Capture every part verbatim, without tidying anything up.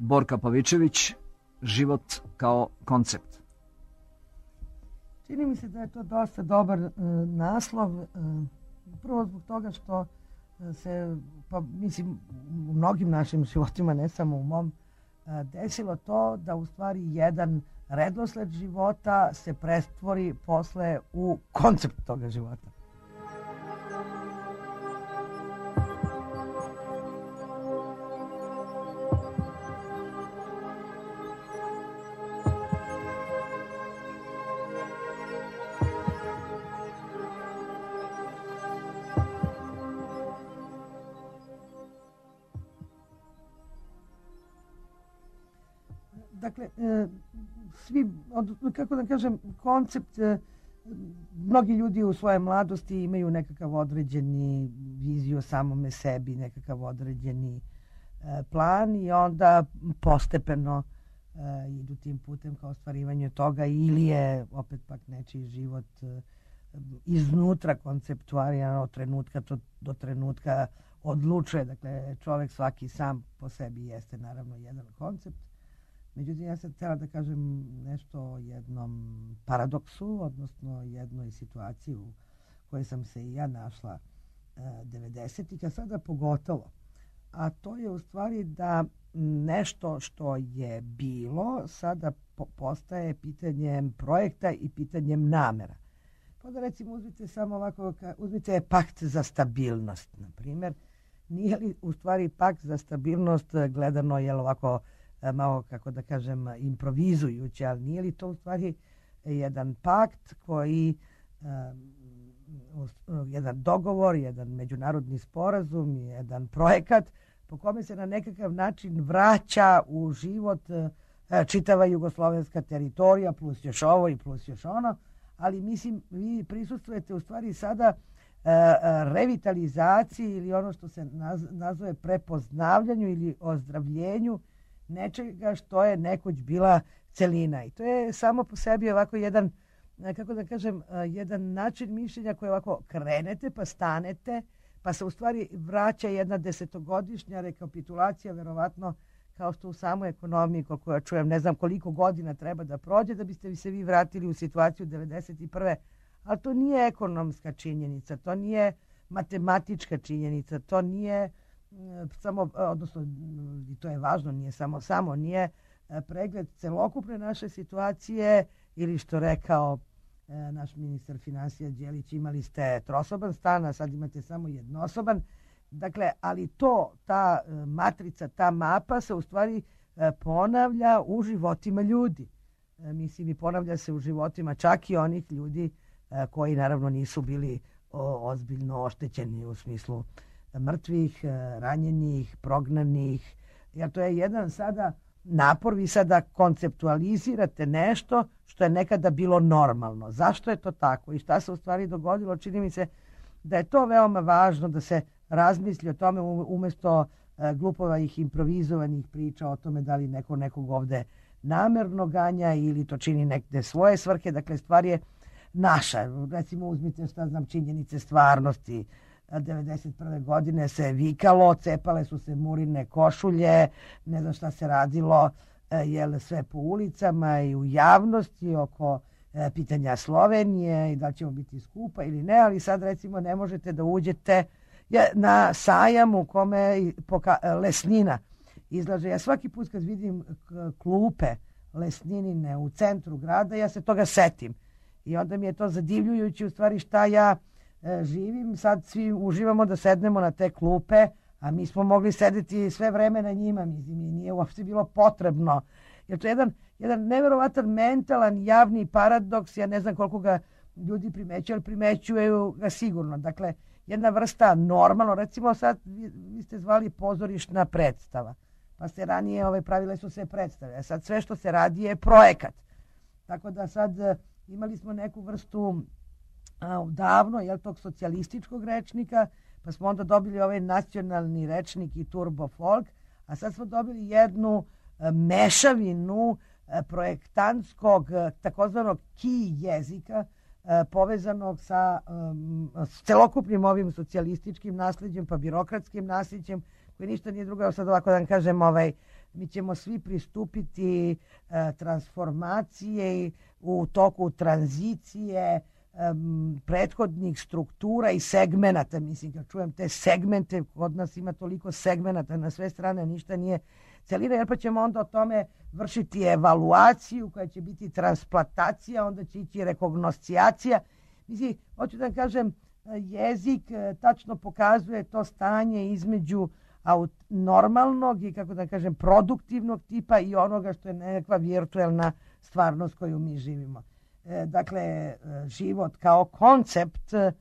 Borka Pavičević, život kao koncept. Čini mi se da je to dosta dobar e, naslov. E, prvo zbog toga što se, pa mislim, u mnogim našim životima, ne samo u mom, e, desilo to da u stvari jedan redosled života se pretvori posle u koncept toga života. Dakle, svi, kako da kažem, koncept, mnogi ljudi u svojoj mladosti imaju nekakav određeni viziju o samome sebi, nekakav određeni plan i onda postepeno idu tim putem ka ostvarivanju toga ili je opet pak nečiji život iznutra konceptualiran od trenutka do trenutka odlučuje. Dakle, čovjek svaki sam po sebi jeste naravno jedan koncept. Međutim, ja sam htjela da kažem nešto o jednom paradoksu, odnosno jednoj situaciji u kojoj sam se i ja našla devedesetih, a sada pogotovo. A to je u stvari da nešto što je bilo sada postaje pitanjem projekta i pitanjem namera. Pa da recimo uzmite samo ovako, uzmite pakt za stabilnost, na primjer. Nije li u stvari pakt za stabilnost gledano, jel ovako, malo, kako da kažem, improvizujući, ali nije li to u stvari jedan pakt koji, um, jedan dogovor, jedan međunarodni sporazum, jedan projekat po kome se na nekakav način vraća u život čitava jugoslovenska teritorija, plus još ovo i plus još ono, ali mislim, vi prisustvujete u stvari sada revitalizaciji ili ono što se nazove prepoznavljanju ili ozdravljenju nečega što je nekoć bila celina. I to je samo po sebi ovako jedan, kako da kažem, jedan način mišljenja koji ovako krenete pa stanete, pa se u stvari vraća jedna desetogodišnja rekapitulacija, verovatno kao što u samoj ekonomiji, koliko ja čujem, ne znam koliko godina treba da prođe da biste se vi vratili u situaciju devedeset prve. Ali to nije ekonomska činjenica, to nije matematička činjenica, to nije samo, odnosno i to je važno, nije samo samo, nije pregled celokupne naše situacije ili što rekao e, naš ministar financija Đelić, imali ste trosoban stan, a sad imate samo jednosoban. Dakle, ali to, ta e, matrica, ta mapa se u stvari e, ponavlja u životima ljudi. E, mislim i ponavlja se u životima čak i onih ljudi e, koji naravno nisu bili o, ozbiljno oštećeni u smislu mrtvih, ranjenih, prognanih. Jer to je jedan sada napor, vi sada konceptualizirate nešto što je nekada bilo normalno. Zašto je to tako i šta se u stvari dogodilo? Čini mi se da je to veoma važno da se razmisli o tome umjesto glupovih improvizovanih priča o tome da li neko nekog ovde namerno ganja ili to čini nekde svoje svrhe. Dakle, stvar je naša. Recimo, uzmite šta znam činjenice stvarnosti. devedeset prve godine se vikalo, cepale su se murine košulje, ne znam šta se radilo, jel, sve po ulicama i u javnosti oko e, pitanja Slovenije i da ćemo biti skupa ili ne, ali sad recimo ne možete da uđete na sajam u kome poka- Lesnina izlaže. Ja svaki put kad vidim klupe Lesninine u centru grada, ja se toga setim. I onda mi je to zadivljujući u stvari šta ja e, živim. Sad svi uživamo da sednemo na te klupe, a mi smo mogli sedeti sve vreme na njima. Mislim, i nije uopšte bilo potrebno. Jer to je jedan, jedan neverovatan mentalan javni paradoks. Ja ne znam koliko ga ljudi primećuju, ali primećuju ga sigurno. Dakle, jedna vrsta normalno, recimo sad vi, vi ste zvali pozorišna predstava. Pa ste ranije ove pravile su se predstave. A sad sve što se radi je projekat. Tako da sad imali smo neku vrstu a, davno, jel, tog socijalističkog rečnika, pa smo onda dobili ovaj nacionalni rečnik i turbo folk, a sad smo dobili jednu a, mešavinu a, projektantskog a, takozvanog ki jezika a, povezanog sa a, s celokupnim ovim socijalističkim nasljeđem, pa birokratskim nasljeđem, koji ništa nije drugo, sad ovako da vam kažem, ovaj, mi ćemo svi pristupiti e, transformacije u toku tranzicije e, prethodnih struktura i segmenata. Mislim, kad čujem te segmente, kod nas ima toliko segmenata na sve strane, ništa nije celina, jer pa ćemo onda o tome vršiti evaluaciju koja će biti transplantacija, onda će ići rekognoscijacija. Mislim, hoću da kažem, jezik tačno pokazuje to stanje između normalnog i, kako da kažem, produktivnog tipa i onoga što je nekakva virtuelna stvarnost koju mi živimo. E, dakle, život kao koncept, e,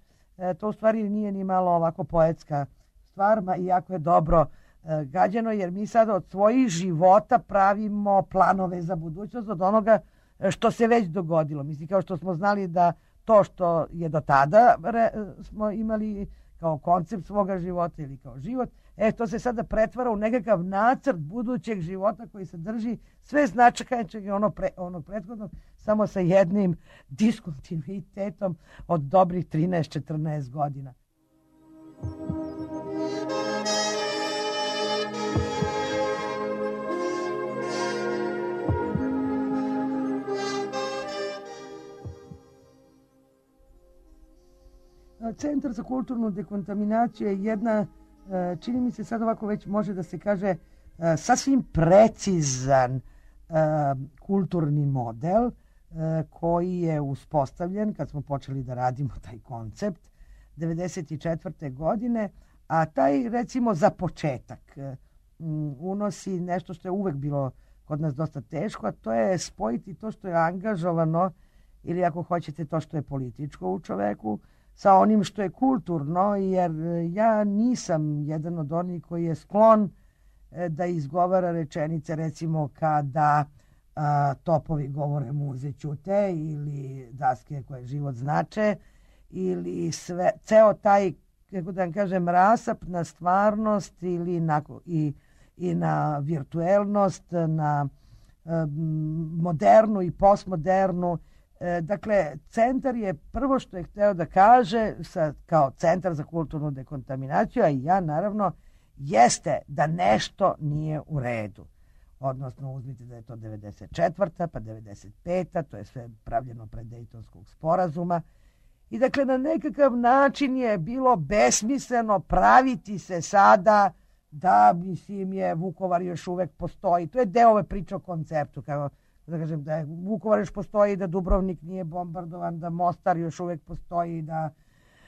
to u stvari nije ni malo ovako poetska stvar, ma iako je dobro e, gađeno, jer mi sad od svojih života pravimo planove za budućnost od onoga što se već dogodilo. Mislim, kao što smo znali da to što je do tada re, smo imali kao koncept svoga života ili kao život, e, to se sada pretvara u nekakav nacrt budućeg života koji sadrži sve značajke ono pre, onog prethodnog, samo sa jednim diskontinuitetom od dobrih trinaest četrnaest godina. Centar za kulturnu dekontaminaciju je jedna, čini mi se sad ovako već može da se kaže, sasvim precizan kulturni model koji je uspostavljen kad smo počeli da radimo taj koncept devedeset četvrte godine, a taj, recimo, za početak unosi nešto što je uvek bilo kod nas dosta teško, a to je spojiti to što je angažovano ili, ako hoćete, to što je političko u čoveku sa onim što je kulturno, jer ja nisam jedan od onih koji je sklon da izgovara rečenice, recimo, kada a, topovi govore muze ćute, ili daske koje život znače, ili sve, ceo taj, kako da vam kažem, rasap na stvarnost ili na, i, i na virtuelnost, na a, modernu i postmodernu. Dakle, centar je prvo što je hteo da kaže sa, kao centar za kulturnu dekontaminaciju, a i ja naravno, jeste da nešto nije u redu. Odnosno, uzmite da je to devedeset četvrta pa devedeset peta to je sve pravljeno pred Dejtonskog sporazuma. I dakle, na nekakav način je bilo besmisleno praviti se sada da, mislim, je Vukovar još uvek postoji. To je deo ove priče o konceptu, kao da kažem da je Vukovar još postoji, da Dubrovnik nije bombardovan, da Mostar još uvek postoji, da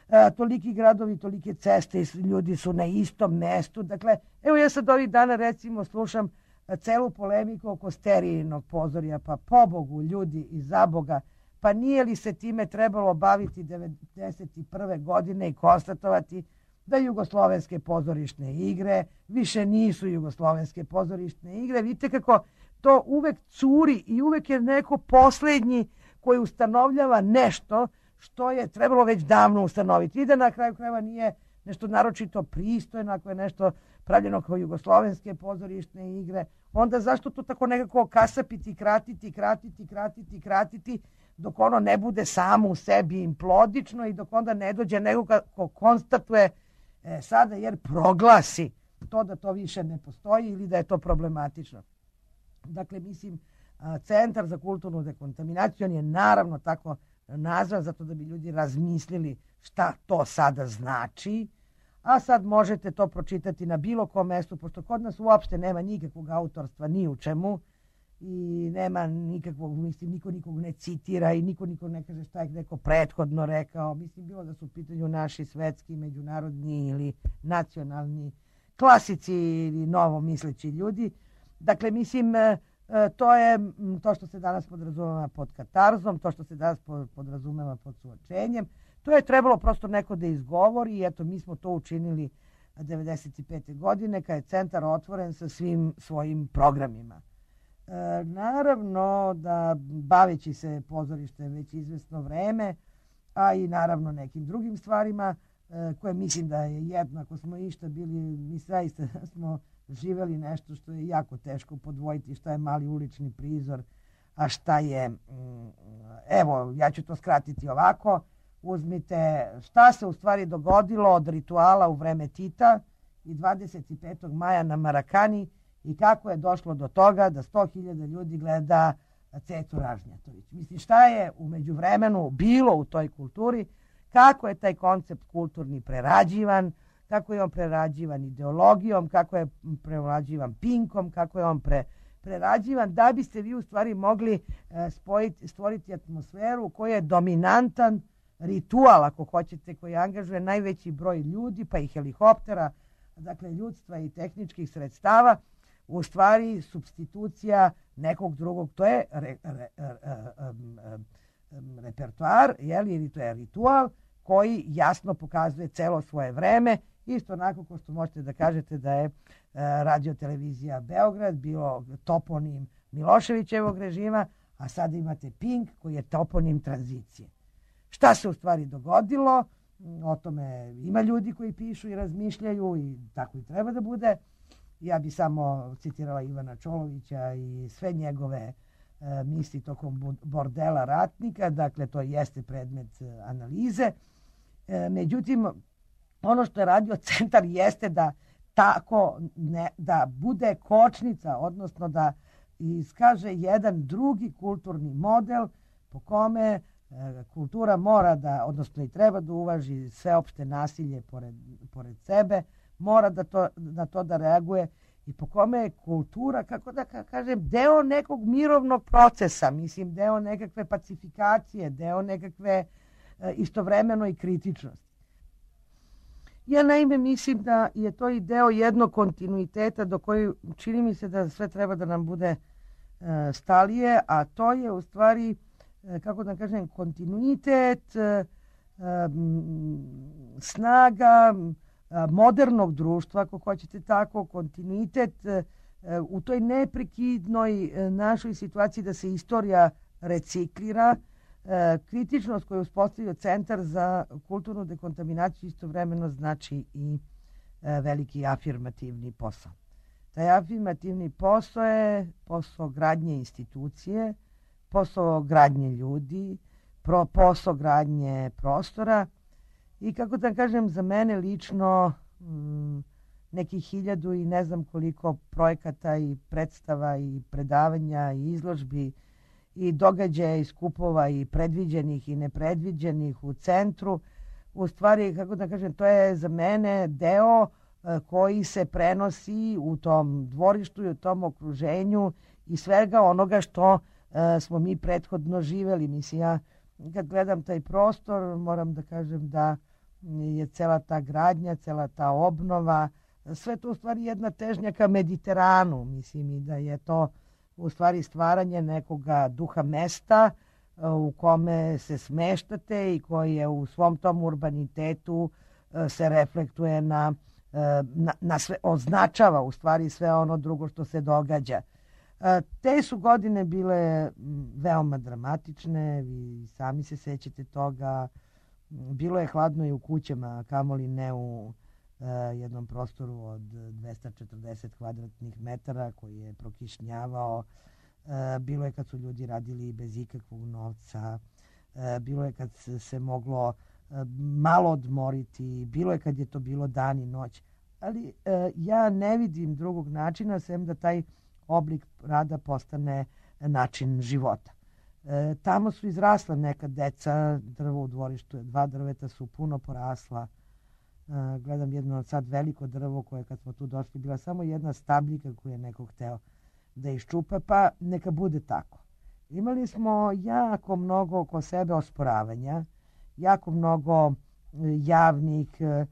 e, toliki gradovi, tolike ceste i ljudi su na istom mestu. Dakle, evo ja sad ovih dana, recimo, slušam celu polemiku oko Sterijinog pozorja, pa pobogu ljudi i za Boga, pa nije li se time trebalo baviti devedeset prve godine i konstatovati da jugoslovenske pozorišne igre više nisu jugoslovenske pozorišne igre. Vidite kako to uvek curi i uvek je neko poslednji koji ustanovljava nešto što je trebalo već davno ustanoviti. I da na kraju krajeva nije nešto naročito pristojno, ako je nešto pravljeno kao jugoslovenske pozorišne igre, onda zašto to tako nekako kasapiti, kratiti, kratiti, kratiti, kratiti, dok ono ne bude samo u sebi implodično i dok onda ne dođe nekoga ko konstatuje e, sada, jer proglasi to da to više ne postoji ili da je to problematično. Dakle, mislim, Centar za kulturnu dekontaminaciju, on je naravno tako nazvan zato da bi ljudi razmislili šta to sada znači, a sad možete to pročitati na bilo kom mestu, pošto kod nas uopšte nema nikakvog autorstva ni u čemu i nema nikakvog, mislim, niko nikog ne citira i niko nikog ne kaže šta je neko prethodno rekao. Mislim, bilo da su u pitanju naši svetski, međunarodni ili nacionalni klasici ili novomisleći ljudi. Dakle, mislim, to je to što se danas podrazumeva pod katarzom, to što se danas podrazumeva pod suočenjem. To je trebalo prosto neko da izgovori i eto, mi smo to učinili devedeset pete godine kad je centar otvoren sa svim svojim programima. E, naravno da baveći se pozorištem već izvesno vreme, a i naravno nekim drugim stvarima e, koje mislim da je jednako smo išta bili, mi zaista smo živeli nešto što je jako teško podvojiti, šta je mali ulični prizor, a šta je, evo, ja ću to skratiti ovako, uzmite šta se u stvari dogodilo od rituala u vreme Tita i dvadeset petog maja na Marakani i kako je došlo do toga da sto hiljada ljudi gleda Cecu Ražnjatović. Mislim, šta je u međuvremenu bilo u toj kulturi, kako je taj koncept kulturni prerađivan, kako je on prerađivan ideologijom, kako je prerađivan Pinkom, kako je on pre, prerađivan, da biste vi u stvari mogli e, spojiti, stvoriti atmosferu koja je dominantan ritual, ako hoćete, koji angažuje najveći broj ljudi, pa i helikoptera, dakle ljudstva i tehničkih sredstava, u stvari supstitucija nekog drugog. To je re, re, re, um, um, repertoar, jeli, ili to je ritual koji jasno pokazuje celo svoje vreme. Isto onako kao što možete da kažete da je uh, radio-televizija Beograd bilo toponim Miloševićevog režima, a sad imate Pink koji je toponim tranzicije. Šta se u stvari dogodilo? O tome ima ljudi koji pišu i razmišljaju i tako i treba da bude. Ja bi samo citirala Ivana Čolovića i sve njegove e, misli tokom bordela ratnika, dakle to jeste predmet e, analize. E, međutim, ono što je radio centar jeste da tako ne, da bude kočnica, odnosno da iskaže jedan drugi kulturni model po kome e, kultura mora da, odnosno i treba da uvaži sveopšte nasilje pored, pored sebe, mora da to, na to da reaguje i po kome je kultura, kako da kažem, deo nekog mirovnog procesa, mislim, deo nekakve pacifikacije, deo nekakve e, istovremeno i kritičnosti. Ja naime mislim da je to i deo jednog kontinuiteta do koji čini mi se da sve treba da nam bude e, stalije, a to je u stvari, e, kako da kažem, kontinuitet, e, e, snaga modernog društva, ako hoćete tako, kontinuitet u toj neprekidnoj našoj situaciji da se istorija reciklira, kritičnost koju je uspostavio Centar za kulturnu dekontaminaciju istovremeno znači i veliki afirmativni posao. Taj afirmativni posao je posao gradnje institucije, posao gradnje ljudi, posao gradnje prostora. I kako da kažem, za mene lično m, nekih hiljadu i ne znam koliko projekata i predstava i predavanja i izložbi i događaja i skupova i predviđenih i nepredviđenih u centru. U stvari, kako da kažem, to je za mene deo e, koji se prenosi u tom dvorištu i u tom okruženju i svega onoga što e, smo mi prethodno živeli. Mislim, ja kad gledam taj prostor, moram da kažem da je cela ta gradnja, cela ta obnova, sve to u stvari jedna težnja ka Mediteranu, mislim, i da je to u stvari stvaranje nekoga duha mesta u kome se smeštate i koji je u svom tom urbanitetu se reflektuje na, na, na sve, označava u stvari sve ono drugo što se događa. Te su godine bile veoma dramatične, vi sami se sećate toga. Bilo je hladno i u kućama, kamoli ne u uh, jednom prostoru od dvesta četrdeset kvadratnih metara koji je prokišnjavao. Uh, bilo je kad su ljudi radili bez ikakvog novca. Uh, bilo je kad se, se moglo uh, malo odmoriti. Bilo je kad je to bilo dan i noć. Ali uh, ja ne vidim drugog načina sem da taj oblik rada postane način života. E, tamo su izrasla neka deca, drvo u dvorištu, dva drveta su puno porasla. E, gledam jedno sad veliko drvo koje kad smo tu došli bila samo jedna stabljika koju je neko hteo da iščupa, pa neka bude tako. Imali smo jako mnogo oko sebe osporavanja, jako mnogo javnih e,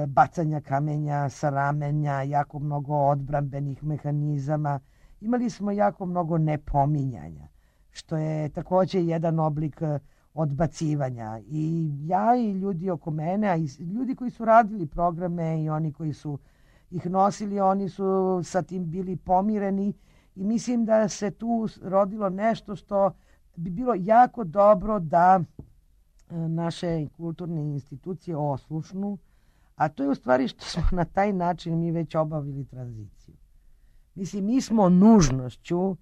bacanja kamenja sa ramenja, jako mnogo odbrambenih mehanizama. Imali smo jako mnogo nepominjanja, što je također jedan oblik odbacivanja. I ja i ljudi oko mene, a i ljudi koji su radili programe i oni koji su ih nosili, oni su sa tim bili pomireni i mislim da se tu rodilo nešto što bi bilo jako dobro da naše kulturne institucije oslušnu, a to je u stvari što smo na taj način mi već obavili tranziciju. Mislim, mi smo nužnošću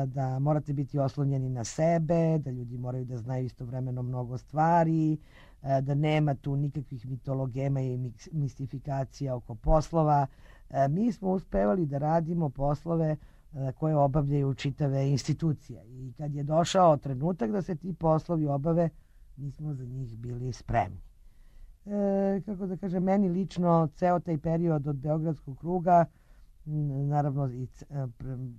da morate biti oslonjeni na sebe, da ljudi moraju da znaju istovremeno mnogo stvari, da nema tu nikakvih mitologema i mistifikacija oko poslova, mi smo uspevali da radimo poslove koje obavljaju čitave institucije. I kad je došao trenutak da se ti poslovi obave, mi smo za njih bili spremni. E, kako da kažem, meni lično ceo taj period od Beogradskog kruga, naravno i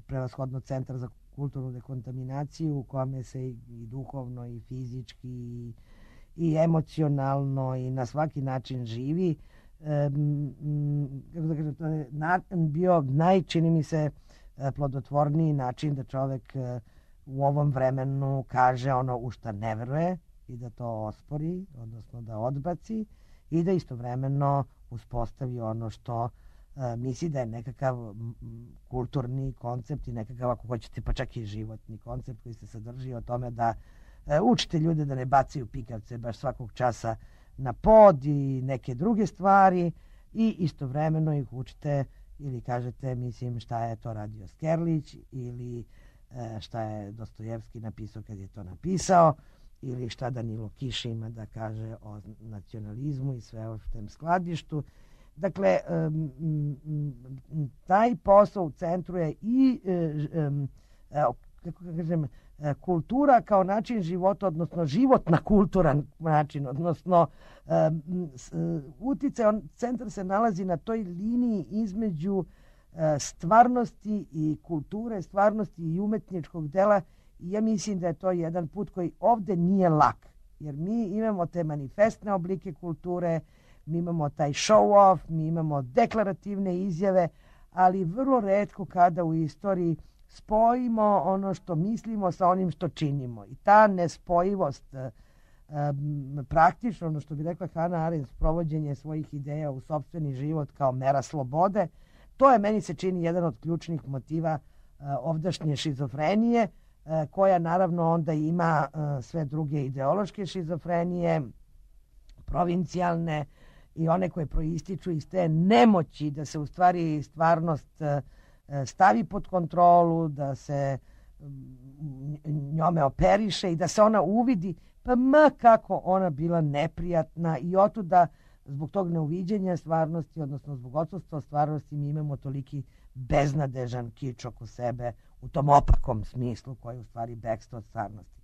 prevashodno Centar za kulturnu dekontaminaciju u kome se i, i duhovno i fizički i, i emocionalno i na svaki način živi, e, kako da kažem, to je na, bio naj, čini mi se, plodotvorniji način da čovek u ovom vremenu kaže ono u šta ne veruje i da to ospori, odnosno da odbaci i da istovremeno uspostavi ono što a, misli da je nekakav kulturni koncept i nekakav, ako hoćete, pa čak i životni koncept koji se sadrži o tome da a, učite ljude da ne bacaju pikavce baš svakog časa na pod i neke druge stvari i istovremeno ih učite ili kažete, mislim, šta je to radio Skerlić ili e, šta je Dostojevski napisao kad je to napisao ili šta Danilo Kiš ima da kaže o nacionalizmu i sve o tem skladištu. Dakle, um, um, taj posao u centru je i um, kako kažem, kultura kao način života, odnosno životna kulturan način, odnosno um, uticaj, on, centar se nalazi na toj liniji između uh, stvarnosti i kulture, stvarnosti i umetničkog dela i ja mislim da je to jedan put koji ovde nije lak, jer mi imamo te manifestne oblike kulture, mi imamo taj show off, mi imamo deklarativne izjave, ali vrlo retko kada u istoriji spojimo ono što mislimo sa onim što činimo. I ta nespojivost, um, praktično, ono što bi rekla Hannah Arendt, provođenje svojih ideja u sopstveni život kao mera slobode, to je, meni se čini, jedan od ključnih motiva uh, ovdašnje šizofrenije, uh, koja naravno onda ima uh, sve druge ideološke šizofrenije, provincijalne i one koje proističu iz te nemoći da se u stvari stvarnost uh, stavi pod kontrolu, da se njome operiše i da se ona uvidi, pa ma kako ona bila neprijatna i otuda zbog tog neuviđenja stvarnosti, odnosno zbog odsustva stvarnosti, mi imamo toliki beznadežan kič oko sebe u tom opakom smislu koji je u stvari bekstvo od stvarnosti.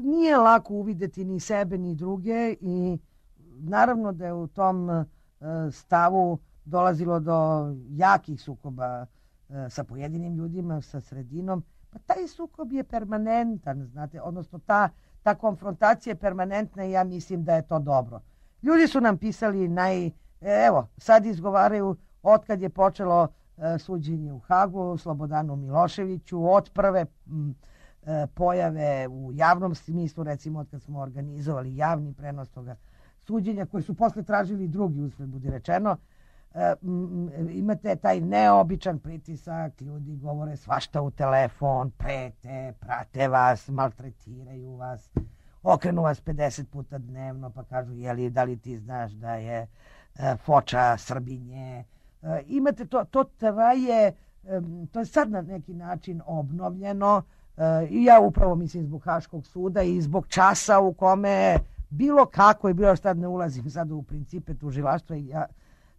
Nije lako uvideti ni sebe ni druge i naravno da je u tom stavu dolazilo do jakih sukoba e, sa pojedinim ljudima, sa sredinom. Pa taj sukob je permanentan, znate, odnosno ta, ta konfrontacija je permanentna i ja mislim da je to dobro. Ljudi su nam pisali naj... Evo, sad izgovaraju otkad je počelo e, suđenje u Hagu, Slobodanu Miloševiću, od prve m, e, pojave u javnom smislu, recimo od kad smo organizovali javni prenos toga suđenja, koji su posle tražili drugi, uspred budi rečeno. Uh, imate taj neobičan pritisak, ljudi govore svašta u telefon, prete, prate vas, maltretiraju vas, okrenu vas pedeset puta dnevno pa kažu jeli, da li ti znaš da je uh, Foča Srbinje. Uh, imate to, to traje, um, to je sad na neki način obnovljeno uh, i ja upravo mislim zbog Haškog suda i zbog časa u kome bilo kako je bilo, šta ne ulazim sad u principe tužilaštva i ja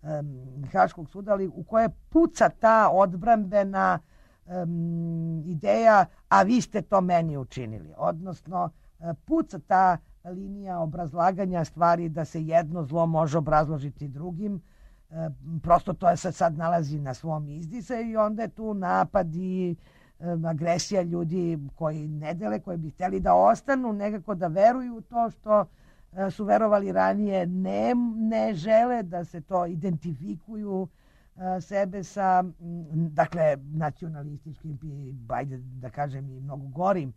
Um, Haškog suda, ali u koje puca ta odbrambena um, ideja, a vi ste to meni učinili. Odnosno, uh, puca ta linija obrazlaganja stvari da se jedno zlo može obrazložiti drugim. Uh, prosto to je se sad nalazi na svom izdisaju i onda je tu napad i um, agresija ljudi koji ne dele, koji bi htjeli da ostanu, nekako da veruju u to što su verovali ranije, ne, ne žele da se to identifikuju a, sebe sa, dakle, nacionalističkim i, bajde da kažem, i mnogo gorim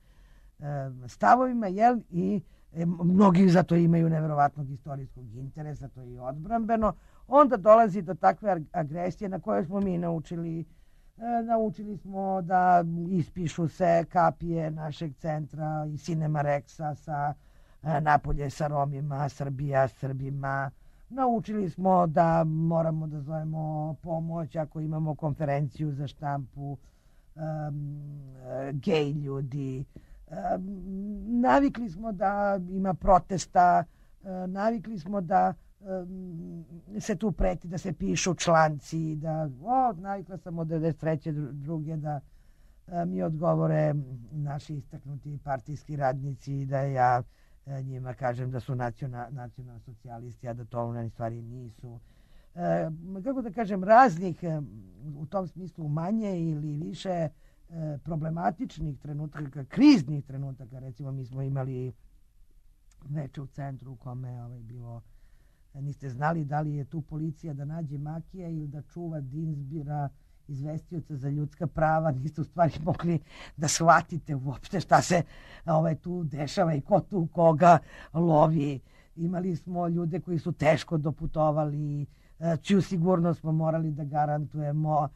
a, stavovima, jel? I e, mnogi zato imaju neverovatnog istorijskog interesa, to je i odbrambeno. Onda dolazi do takve agresije na koje smo mi naučili. E, naučili smo da ispišu se kapije našeg centra i Cinema Rexa sa napolje sa Romima, Srbija, Srbima. Naučili smo da moramo da zovemo pomoć ako imamo konferenciju za štampu, um, gej ljudi. Um, navikli smo da ima protesta, uh, navikli smo da se tu preti da se pišu članci, da o, navikla sam od devedeset treće druge da a, mi odgovore naši istaknuti partijski radnici, da ja a, njima kažem da su nacional, nacional socijalisti, a da to u stvari nisu. E, kako da kažem, raznih u tom smislu manje ili više e, problematičnih trenutaka, kriznih trenutaka. Recimo mi smo imali veče u centru u kome ovaj, bilo, niste znali da li je tu policija da nađe Makija ili da čuva Dinsbira, izvestioca za ljudska prava. Niste u stvari mogli da shvatite uopšte šta se ovaj, tu dešava i ko tu koga lovi. Imali smo ljude koji su teško doputovali, čiju sigurnost smo morali da garantujemo.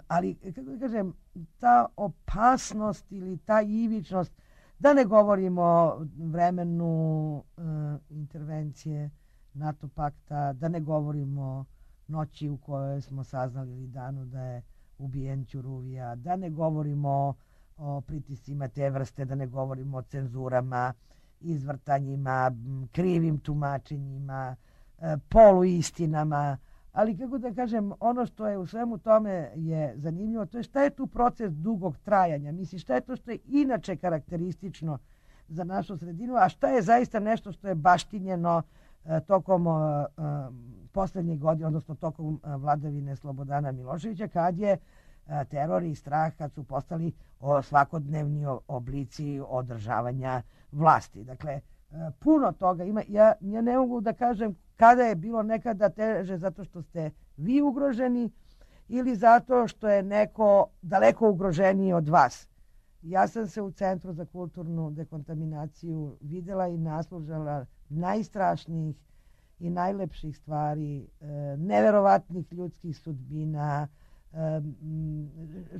Ali, kako da kažem, ta opasnost ili ta ivičnost, da ne govorimo o vremenu uh, intervencije NATO pakta, da ne govorimo noći u kojoj smo saznali ili danu da je ubijen Ćuruvija, da ne govorimo o pritiscima te vrste, da ne govorimo o cenzurama, izvrtanjima, krivim tumačenjima, poluistinama, ali kako da kažem, ono što je u svemu tome je zanimljivo, to je šta je tu proces dugog trajanja. Mislim, šta je to što je inače karakteristično za našu sredinu, a šta je zaista nešto što je baštinjeno uh, tokom uh, poslednjih godina, odnosno tokom uh, vladavine Slobodana Miloševića, kad je uh, teror i strah, kad su postali o, svakodnevni oblici održavanja vlasti. Dakle, uh, puno toga ima. Ja, ja ne mogu da kažem kada je bilo nekada teže zato što ste vi ugroženi ili zato što je neko daleko ugroženiji od vas. Ja sam se u Centru za kulturnu dekontaminaciju videla i naslužala najstrašnijih i najlepših stvari, neverovatnih ljudskih sudbina,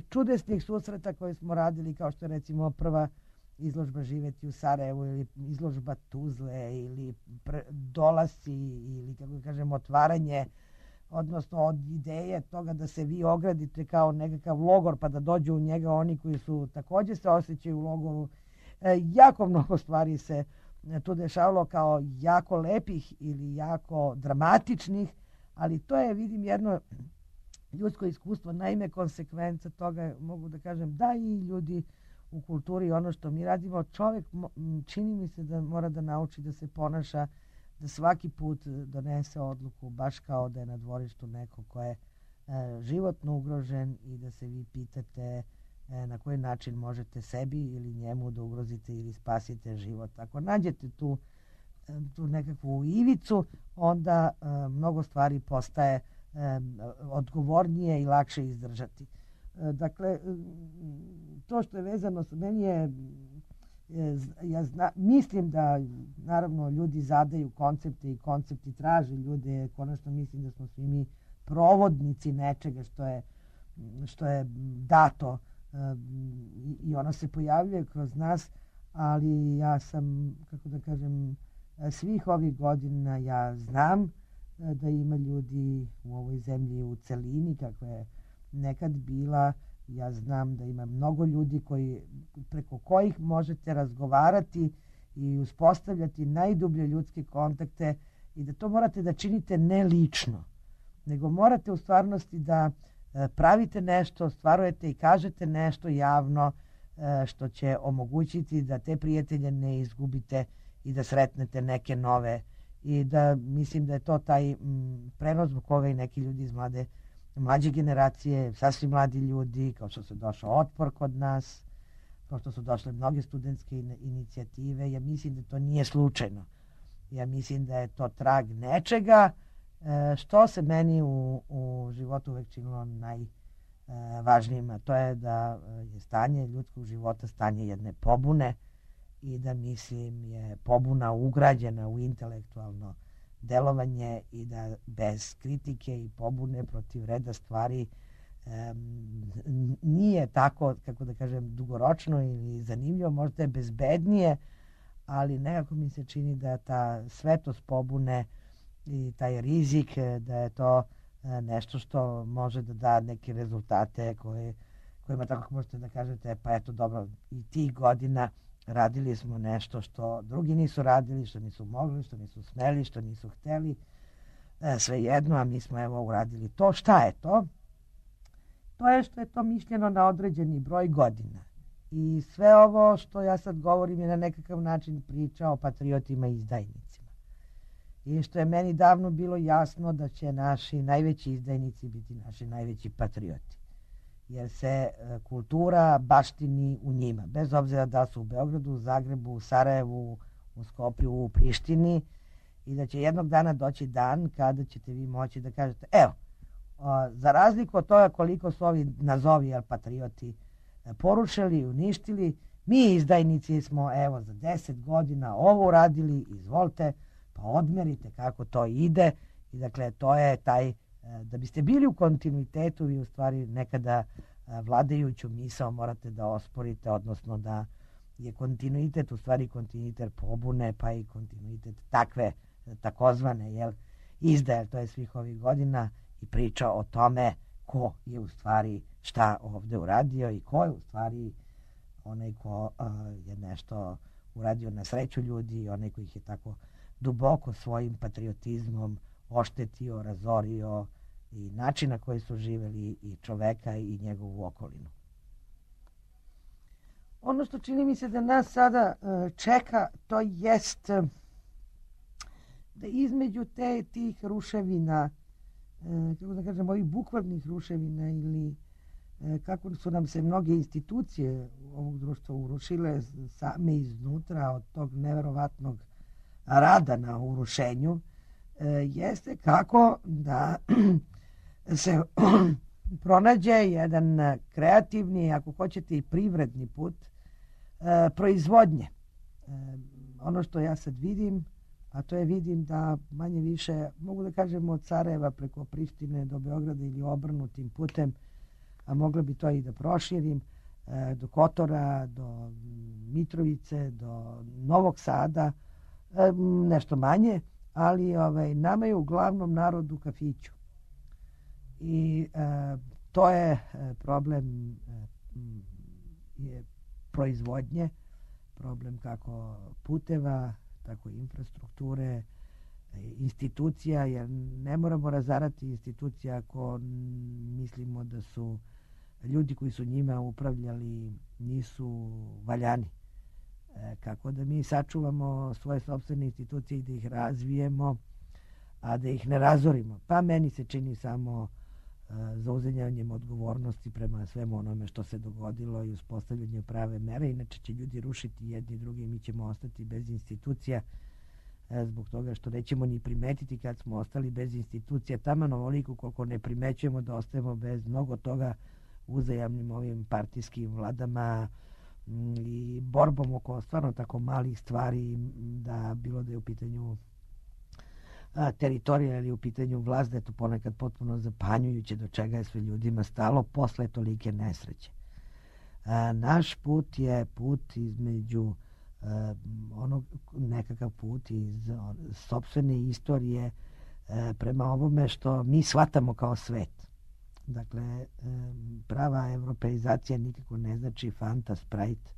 čudesnih susreta koje smo radili, kao što je recimo prva izložba Živeti u Sarajevu ili izložba Tuzle ili pre, dolasci ili, kako kažem, otvaranje, odnosno od ideje toga da se vi ogradite kao nekakav logor pa da dođu u njega oni koji su također se osjećaju u logoru. E, jako mnogo stvari se tu dešavalo kao jako lepih ili jako dramatičnih, ali to je, vidim, jedno ljudsko iskustvo. Naime, konsekvenca toga, mogu da kažem, da i ljudi u kulturi, ono što mi radimo, čovjek čini mi se da mora da nauči da se ponaša, da svaki put donese odluku baš kao da je na dvorištu neko ko je e, životno ugrožen i da se vi pitate e, na koji način možete sebi ili njemu da ugrozite ili spasite život. Ako nađete tu, e, tu nekakvu ivicu, onda e, mnogo stvari postaje e, odgovornije i lakše izdržati. E, dakle, to što je vezano s meni je, ja zna, mislim da naravno ljudi zadaju koncepte i koncepti traže ljude, konačno mislim da smo svi mi provodnici nečega što je, što je dato i ono se pojavljuje kroz nas, ali ja sam, kako da kažem, svih ovih godina ja znam da ima ljudi u ovoj zemlji u celini kako je nekad bila. Ja znam da ima mnogo ljudi koji, preko kojih možete razgovarati i uspostavljati najdublje ljudske kontakte i da to morate da činite ne lično, nego morate u stvarnosti da pravite nešto, ostvarujete i kažete nešto javno što će omogućiti da te prijatelje ne izgubite i da sretnete neke nove. I da mislim da je to taj m, prenos zbog koga i neki ljudi iz mlade mlađe generacije, sasvim mladi ljudi, kao što se došao Otpor kod nas, kao što su došle mnoge studentske inicijative. Ja mislim da to nije slučajno. Ja mislim da je to trag nečega što se meni u, u životu uvek činilo najvažnijim, a to je da je stanje ljudskog života stanje jedne pobune i da, mislim, je pobuna ugrađena u intelektualno delovanje i da bez kritike i pobune protiv reda stvari um, nije tako, kako da kažem, dugoročno ili zanimljivo, možda je bezbednije, ali nekako mi se čini da ta svetost pobune i taj rizik, da je to nešto što može da da neke rezultate koje, kojima tako možete da kažete, pa eto dobro, i tih godina radili smo nešto što drugi nisu radili, što nisu mogli, što nisu smeli, što nisu hteli. sve jedno, a mi smo evo uradili to. Šta je to? To je što je to mišljeno na određeni broj godina. I sve ovo što ja sad govorim je na nekakav način priča o patriotima i izdajnicima. I što je meni davno bilo jasno da će naši najveći izdajnici biti naši najveći patrioti. Jer se kultura baštini u njima. Bez obzira da su u Beogradu, u Zagrebu, u Sarajevu, u Skoplju, u Prištini. I da će jednog dana doći dan kada ćete vi moći da kažete, evo, za razliku od toga koliko su ovi nazovi jel, patrioti porušili i uništili, mi izdajnici smo evo za deset godina ovo uradili, izvolite, pa odmerite kako to ide. I dakle, to je taj, da biste bili u kontinuitetu, vi u stvari nekada vladajuću misao morate da osporite, odnosno da je kontinuitet u stvari kontinuitet pobune, pa i kontinuitet takve takozvane jel, izdaje, to je svih ovih godina i priča o tome ko je u stvari šta ovde uradio i ko je u stvari onaj ko uh, je nešto uradio na sreću ljudi i onaj koji ih je tako duboko svojim patriotizmom oštetio, razorio i način na koji su živeli i čoveka i njegovu okolinu. Ono što čini mi se da nas sada uh, čeka, to jest uh, da između te tih ruševina, uh, kako da kažem, ovih bukvalnih ruševina ili uh, kako su nam se mnoge institucije ovog društva urušile same iznutra od tog neverovatnog rada na urušenju, uh, jeste kako da se pronađe jedan kreativni, ako hoćete i privredni put e, proizvodnje. E, ono što ja sad vidim, a to je vidim da manje više, mogu da kažem od Sarajeva preko Prištine do Beograda ili obrnutim putem, a mogla bi to i da proširim, e, do Kotora, do Mitrovice, do Novog Sada, e, nešto manje, ali ovaj, nama je uglavnom narod u kafiću. I e, to je e, problem e, je proizvodnje, problem kako puteva, tako i infrastrukture, e, institucija, jer ne moramo razarati institucija ako mislimo da su ljudi koji su njima upravljali nisu valjani. E, kako da mi sačuvamo svoje sopstvene institucije i da ih razvijemo, a da ih ne razorimo. Pa meni se čini samo zauzimljanjem odgovornosti prema svemu onome što se dogodilo i uspostavljanje prave mere. Inače će ljudi rušiti jedni drugi i mi ćemo ostati bez institucija zbog toga što nećemo ni primetiti kad smo ostali bez institucija. Taman ovoliko koliko ne primećujemo da ostajemo bez mnogo toga uzajamnim ovim partijskim vladama i borbom oko stvarno tako malih stvari, da bilo da je u pitanju A, teritorija ili u pitanju vlast, da je to ponekad potpuno zapanjujuće do čega je sve ljudima stalo posle tolike nesreće. A, naš put je put između a, onog, nekakav put iz on, sopstvene istorije a, prema ovome što mi shvatamo kao svet. Dakle, a, prava evropeizacija nikako ne znači Fanta, Sprite,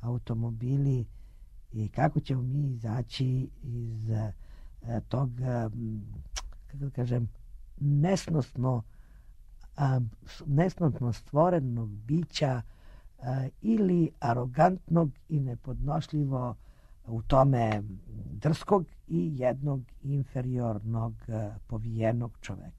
automobili i kako ćemo mi izaći iz tog, kako da kažem, nesnosno, nesnosno stvorenog bića ili arogantnog i nepodnošljivo u tome drskog i jednog inferiornog povijenog čoveka.